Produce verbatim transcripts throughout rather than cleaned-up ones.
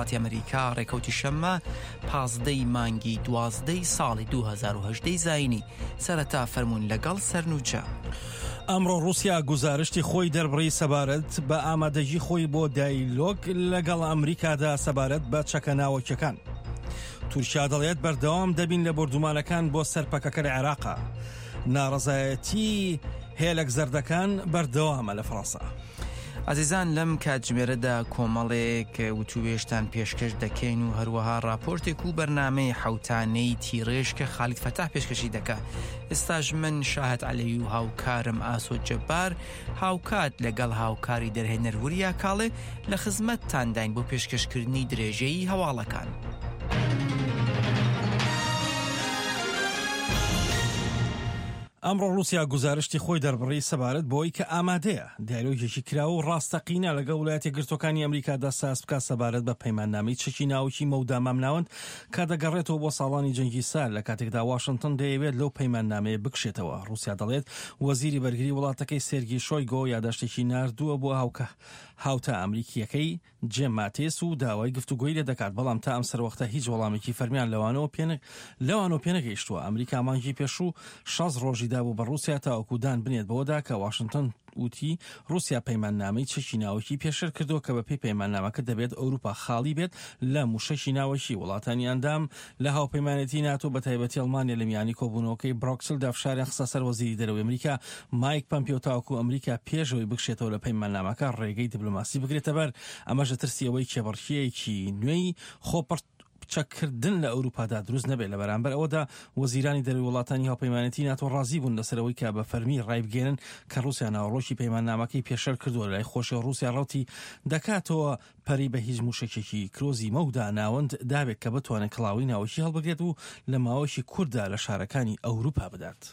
وڵاتی ئەمریکا، ڕێکەوتی شەممە پازدەی مانگی دوازدەی ساڵی دوو هەزار و هەژدە زایینی. سەرەتا فەرموون لەگەڵ سەرنوچە. ئەمڕۆ ڕووسیا گوزارشتی خۆی دەربڕی سەبارەت بە ئامادەگی خۆی بۆ دایلۆگ لەگەڵ ئەمریکادا سەبارەت بە چەکە ناوەکیەکان. تورکیا دەڵێت بەردەوام دەبین لە بۆردومانەکان بۆ سەر پەکەکە لە عێراقا. ناڕەزایەتی هێلەک زەردەکان بەردەوامە لە فەڕەنسا. عزیزان لەم کاتژمێرەدا کۆمەڵێک وتوێژتان پێشکەش دەکەین و هەروەها راپۆرتێک و بەرنامەی حوتانەی تیڕێژ کە خالید فەتاح پێشکەشی دەکا. ئێستاش من شاهد عەلەوی و هاوکارم ئاسۆ جەبار هاوکات لەگەڵ هاوکاری دەرهێنەر وریا کاڵێ لە خزمەتتانداین بۆ پێشکەشکردنی درێژەی هەواڵەکان. ئەمڕۆ ڕووسیا گوزارشتی خۆی دەربڕی سەبارەت بۆی کە ئامادەیە دیالۆگێکی کراوە و ڕاستەقینە لەگەڵ وڵاتە یەکگرتووەکانی ئەمریکادا ساز بکات سەبارەت بە پەیماننامەی چەکی ناوکی مەودا مامناوەند کە دەگەڕێتەوە بۆ ساڵانی جەنگی سار، لە کاتێکدا واشنگتن دەیەوێت لەو پەیماننامەیە بکشێتەوە. ڕووسیا دەڵێت وەزیری بەرگری وڵاتەکەی سێرگی شۆیگۆ یاداشتێکی ناردووە بۆ هاوتا ئەمریکیەکەی جێم ماتێس و داوای گفتوگۆی لێ دەکات، بەڵام تا ئەم سەروەختە هیچ وەڵامێکی فەرمیان لەوانەوە پێنەگەیشتووە. ئەمریکا مانگی پێشوو شەست ڕۆژی دابوو بە ڕووسیا تاوەکو دان بنێت بەوەدا کە واشنگتن وتی ڕووسیا پەیماننامەی چەکی ناوەکی پێشێل کردووە کە بەپێی پەیماننامەکە دەبێت ئەوروپا خاڵی بێت لە موشەکی ناوەکی. وڵاتانی ئەندام لە هاوپەیمانێتی ناتۆ بە تایبەتی ئەڵمانیا لە میانی کۆبوونەوەکەی برۆکسلدا فشاریان خستە سەر وەزیری دەرەوەی ئەمریکا مایک پەمپیۆ تاوەکو ئەمریکا پێشەوەی بکشێتەوە لە پەیماننامەکە ڕێگەی دیپلۆماسی بگرێتە بەر. ئەمەش لە ترسی ئەوەی کێبڕکێیەکی نوێی خۆپڕ چەککردن لە ئەوروپادا دروست نەبێت. لە بەرامبەر ئەوەدا وەزیرانی دەرەوەی وڵاتانی هاوپەیمانێتی ناتۆ ڕازی بوون لەسەرەوەی کە بە فەرمی ڕایبگەێنن کە ڕووسیا ناوەڕۆکی پەیماننامەکەی پێشێل کردووە. لای خۆشی ڕووسیا ڕەوتی دەکاتەوە پەری بە هیچ موشەکێکی کرۆزی مەودا ناوەند دابێت کە بتوانێت کڵاوی ناوەکی هەڵبگرێت و لە ماوەیەکی کوورتدا لە شارەکانی ئەوروپا بدات.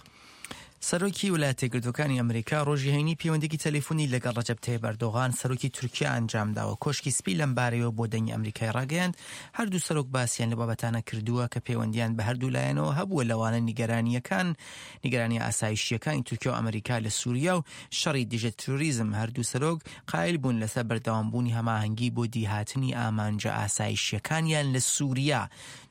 سەرۆکی وڵاتە یەکگرتووەکانی ئەمریکا ڕۆژی هەینی پەیوەندییەکی تەلەفۆنی لەگەڵ ڕەجەب تەیب ئەردۆغان سەرۆکی تورکیا ئەنجامداوە. کۆشکی سپی لەمبارەیەوە بۆ دەنگی ئەمریکای ڕاگەیاند هەردوو سەرۆک باسییان لە بابەتانە کردووە کە پەیوەندیان بە هەردوو لایەنەوە هەبووە، لەوانە نیگەرانیەکان نیگەرانی ئاسایشیەکانی تورکیا و ئەمریکا لە سووریا و شەڕی دژە تیرۆریزم. هەردوو سەرۆک قایل بوون لەسەر بەردەوامبوونی هەماهەنگی بۆ دیهاتنی ئامانجە ئاسایشیەکانیان لە سووریا.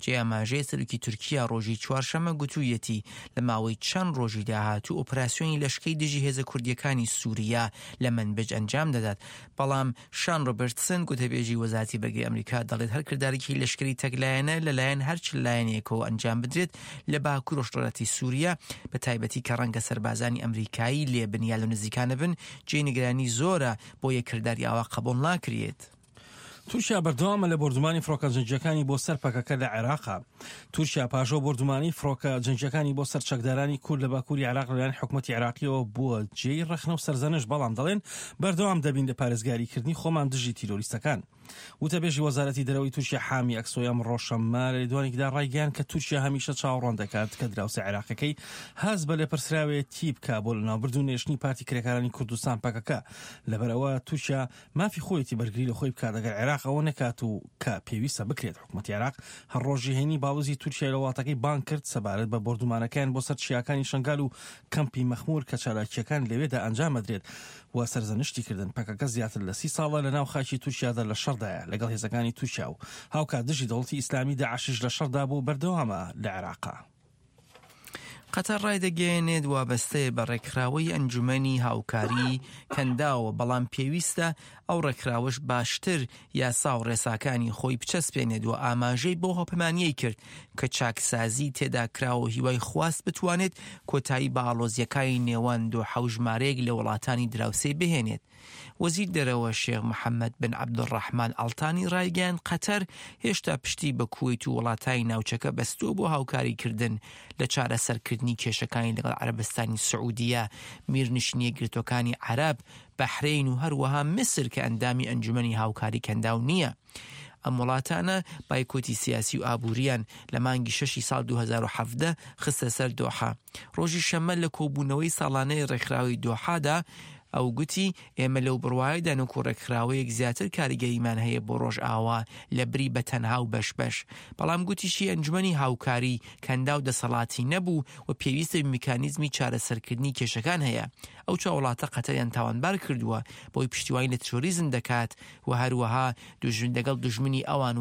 جێ ئاماژەیە سەرۆکی تورکیا ڕۆژی چوارشەممە گوتوویەتی لە ماوەی چەند ڕۆژی داهاتوو ئۆپراسیۆنی لەشکری دژی هێزە کوردیەکانی سووریا لە منبج ئەنجام دەدات. بەڵام شان ڕۆبرتسن گوتەبێژی وەزارەتی بەرگری ئەمریکا دەڵێت هەر کردارێکی لەشکری تەکلایەنە لەلایەن هەر چ لایەنێکەوە ئەنجام بدرێت لە باکوور ڕۆژهەڵاتی سووریا، بە تایبەتی کە ڕەنگە سەربازانی ئەمریکایی لێبن یا لە نزیکانە بن، جێی نیگەرانی زۆرە بۆ یەک کرداری ئاوا قبوڵ ناکرێت. تورکیا بەردەوامە لە بۆردومانی فڕۆکە جەنگیەکانی بۆ سەر پەکەکە لە عێراقا. تورکیا پاشەوە بۆردومانی فڕۆکە جەنگیەکانی بۆ سەر چەکدارانی کورد لە باکووری عێراق لەلایەن حکوومەتی عێراقیەوە بووە جێی ڕەخنە و سەرزەنش، بەڵام دەڵێن بەردەوام دەبین لە پارێزگاریکردنی خۆمان دژی تیرۆریستەکان. وتەبێژی وەزارەتی دەرەوەی تورکیا حامی ئەکسۆی ئەمڕۆ شەممە لە لێدوانێکدا ڕایگەیاند کە تورکیا هەمیشە چاوەڕوان دەکات کە دراوسێ عێراقەکەی هەست بە لێپرسراوێتی بکا بۆ لەناوبردن و نێشتنی پارتی کرێکارانی کوردستان پەکەکە. لەبەرئەوە تورکیا مافی خۆیەتی بەرگری لە خۆی بکات ئەگەر عێراق ئەوە نەکات و کە پێویستە بکرێت. حکوومەتی عێراق هەر ڕۆژی هەینی باڵوزی تورکیا لە وڵاتەکەی بانگ کرد سەبارەت بە بۆردومانەکەیان بۆ سەر چیاکانی شەنگال و کەمپی مەخمور کە چالاکیەکان لەوێدا ئەنجام ئەدرێت و سەرزەنشتی کردن. پەکەکە زیاتر لە سی ساڵە لە ناو خاکی تورکیادا لە شەڕدایە لەگەڵ هێزەکانی تورکیا و هاوکات دژی دەوڵەتی ئیسلامی داعشیش لە شەڕدا بوو بەردەوامە لە عێراقا. قەتەر ڕایدەگەیەنێت وابەستەیە بە ڕێکخراوەی ئەنجومەنی هاوکاری کەنداوە، بەڵام پێویستە ئەو ڕێکخراوەش باشتر یاسا و ڕێساکانی خۆی بچەسپێنێت و ئاماژەی بۆ هاوپەیمانیەی کرد کە چاکسازی تێدا کراوە و هیوای خواست بتوانێت کۆتایی بە ئاڵۆزیەکانی نێوان دۆحە و ژمارەیەک لە وڵاتانی دراوسێ بهێنێت. وەزیر دەرەوە شێخ محەممەد بن عەبدولڕەحمان ئەڵتانی ڕایگەیاند قەتەر هێشتا پشتی بە کوەیت و وڵاتانی ناوچەکە بەستووە بۆ هاوکاریکردن لە چارەسەرکردنی کێشەکانی لەگەڵ عەرەبستانی سعودیە، میرنشینی یەکگرتووەکانی عەرەب، بەحرەین و هەروەها میسر کە ئەندامی ئەنجومەنی هاوکاری کەنداو نییە. ئەم وڵاتانە بایکۆتی سیاسی و ئابووریان لە مانگی شەشی ساڵ دوو هەزار و حەڤدە خستە سەر دۆحە. ڕۆژی شەممە لە کۆبوونەوەی ساڵانەی ڕێکخراوی دۆحادا ئەو گوتی ئێمە لەو بڕوایەدان وەکو ڕێکخراوەیەک زیاتر کاریگەریمان هەیە بۆ ڕۆژئاوا لە بری بە تەنها و بەش بەش. بەڵام گوتیشی ئەنجومەنی هاوکاری کەنداو دەسەڵاتی نەبوو و پێویستە میکانیزمی چارەسەرکردنی کێشەکان هەیە. ئەو چوار وڵاتە قەتەریان تاوانبار کردووە بۆی پشتیوانی لە تیرۆریزم دەکات و هەروەها دوژمن لەگەڵ دوژمنی ئەوان